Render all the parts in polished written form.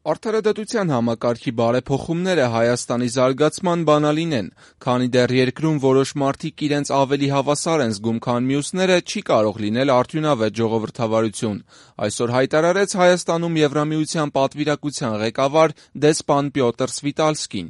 Արդարադատության համակարգի բարեփոխումները Հայաստանի զարգացման բանալին են, քանի դեռ երկրում որոշ մարդիկ իրենց ավելի հավասար են զգում, քան մյուսները, չի կարող լինել արդյունավետ ժողովրդավարություն, այսօր հայտարարեց Հայաստանում Եվրամիության պատվիրակության ղեկավար դեսպան Պյոտր Սվիտալսկին։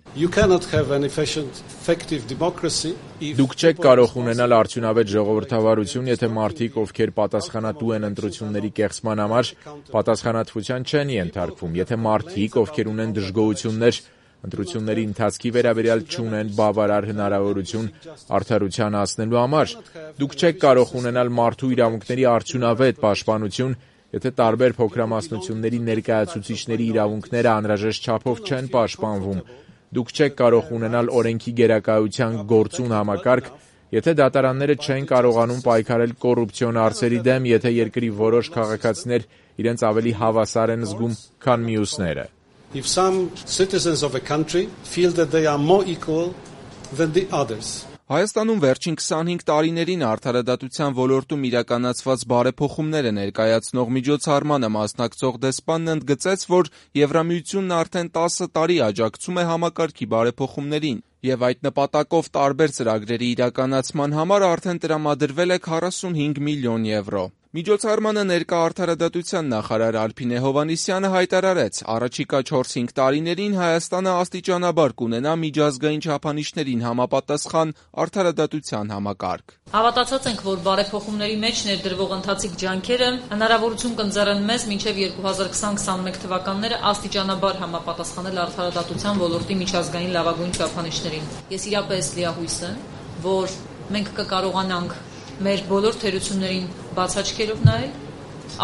Դուք չեք կարող ունենալ արդյունավետ ժողովրդավարություն, եթե մարդիկ, ովքեր պատասխանատու են ընտրությունների կեղծման համար, պատասխանատվության չեն ենթարկվում, եթե մարդիկ, ովքեր ունեն դժգոհություններ, ընտրությունների ընթացքի վերաբերյալ չունեն բավարար հնարավորություն արդարության հասնելու համար։ Դուք չեք կարող ունենալ մարդու իրավունքների արդյունավետ պաշտպանություն, եթե տարբեր փոքրամասնությունների ներկայացուցիչների իրավունքները անհրաժեշտ չափով չեն պաշտպանվում։ Դուք չեք կարող ունենալ օրենքի գերակայության գործուն համակարգ, եթե դատարանները չեն կարողանում պայքարել կոռուպցիոն հարցերի դեմ, եթե երկրի որոշ քաղաքացիներ իրենց ավելի հավասար են զգում, քան մյուսները։ If some citizens of a country feel that they are more equal than the others. Հայաստանում վերջին 25 տարիներին արդարադատության ոլորտում իրականացված բարեփոխումները ներկայացնող միջոցառմանը մասնակցող դեսպանն ընդգծեց, որ Եվրամիությունն արդեն 10 տարի աջակցում է համակարգի բարեփոխումներին եւ այդ նպատակով տարբեր ծրագրերի իրականացման համար արդեն տրամադրվել է 45 միլիոն եվրո։ Միջոցառմանը ներկա արդարադատության նախարար Ալփինե Հովհաննիսյանը հայտարարեց, առաջիկա 4-5 տարիներին Հայաստանը աստիճանաբար կունենա միջազգային չափանիշներին համապատասխան արդարադատության համակարգ։ Հավատացած ենք, որ բարեփոխումների մեջ ներդրվող ընթացիկ ջանքերը հնարավորություն կընձեռեն մեզ մինչև 2020-21 թվականները աստիճանաբար համապատասխանել արդարադատության ոլորտի միջազգային լավագույն չափանիշներին։ Ես իրապես լիահույս եմ, որ մենք կկարողանանք մեր բոլոր թերություններին բաց աչքերով նայել,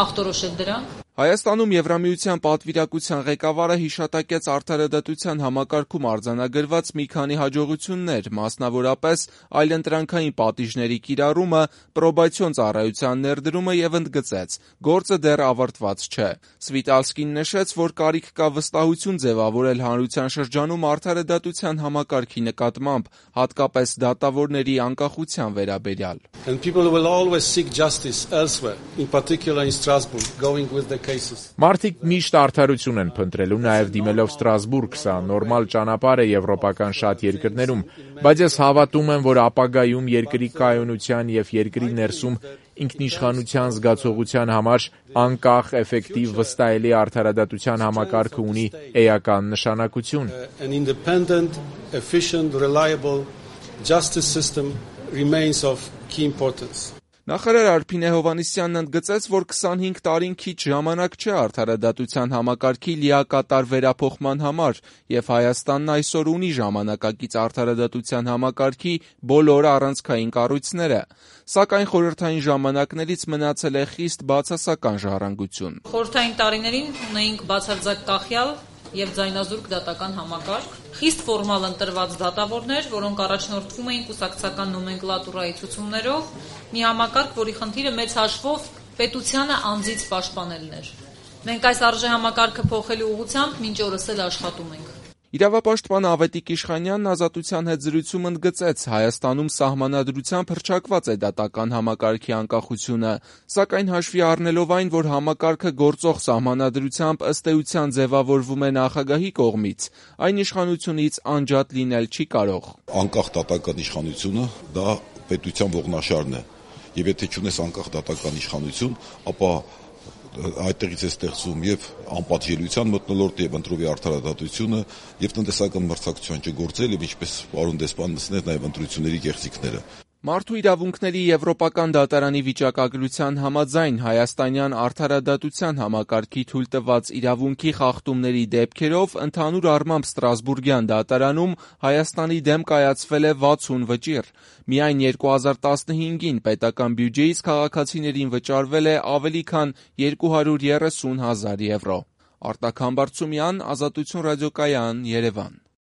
ախտորոշել դրանք։ Հայաստանում Եվրամիության պատվիրակության ղեկավարը հիշատակեց արդարադատության համակարգում արձանագրված մի քանի հաջողություններ, մասնավորապես այլընտրանքային պատիժների կիրառումը, պրոբացիոն ծառայության ներդրումը եւ ընդգծեց. գործը դեռ ավարտված չէ։ Սվիտալսկին նշեց, որ կարիք կա վստահություն ձևավորել հանրության շրջանում արդարադատության համակարգի նկատմամբ, հատկապես դատավորների անկախության վերաբերյալ։ And people will always seek justice elsewhere, in particular in Strasbourg, going with the Մարդիկ միշտ արդարություն են փնտրելու, նաև դիմելով Ստրասբուրգ, սա նորմալ ճանապարհ է եվրոպական շատ երկրներում, բայց ես հավատում եմ, որ ապագայում երկրի կայունության եւ երկրի ներսում ինքնիշխանության զգացողության համար անկախ, էֆեկտիվ, վստահելի արդարադատության համակարգը ունի էական նշանակություն։ An independent, efficient, reliable justice system remains of key importance. Նախարար Ալփինե Հովհաննիսյանն ընդգծեց, որ 25 տարին քիչ ժամանակ չէ արդարադատության համակարգի լիակատար վերափոխման համար, եւ Հայաստանն այսօր ունի ժամանակակից արդարադատության համակարգի բոլոր առանցքային կառույցները, սակայն խորհրդային ժամանակներից մնացել է խիստ բացասական ժառանգություն։ Խորհրդային տարիներին ունեինք բացարձակ կախյալ եւ ձայնազուրկ դատական համակարգ, խիստ ֆորմալ ընտրված դատավորներ, որոնք առաջնորդվում էին կուսակցական նոմենկլատուրայի ցուցումներով, մի համակարգ, որի խնդիրը մեծ հաշվով պետությանը անձից պաշտպանելն էր։ Մենք այս արժեհամակարգը փոխելու ուղղությամբ մինչ օրս էլ աշխատում ենք։ Իրավապաշտպան Ավետիք Իշխանյանն Ազատության հետ զրույցում ընդգծեց, Հայաստանում սահմանադրությամբ հռչակված է դատական համակարգի անկախությունը, սակայն հաշվի առնելով այն, որ համակարգը գործող սահմանադրությամբ ըստ էության ձևավորվում է նախագահի կողմից, այն իշխանությունից անջատ լինել չի կարող։ Անկախ դատական իշխանությունը դա պետության ողնաշարն է, եւ եթե չունես անկախ դատական իշխանություն, ապա այդտեղից է ստեղծում եւ անպատժելիության մթնոլորտը եւ ընտրովի արդարադատությունը եւ տնտեսական մրցակցության չգործել եւ ինչպես պարոն դեսպան նշեց նաեւ ընտրությունների կեղծիքները։ Մարդու իրավունքների Եվրոպական դատարանի վիճակագրության համաձայն հայաստանյան արդարադատության համակարգի թույլ տված իրավունքի խախտումների դեպքերով ընդհանուր առմամբ Ստրասբուրգյան դատարանում Հայաստանի դեմ կայացվել է 60 վճիռ։ Միայն 2015-ին պետական բյուջեից քաղաքացիներին վճարվել է ավելի քան 230,000 եվրո։ Արտակ Համբարձումյան, Ազատություն ռադիոկայան, Երևան։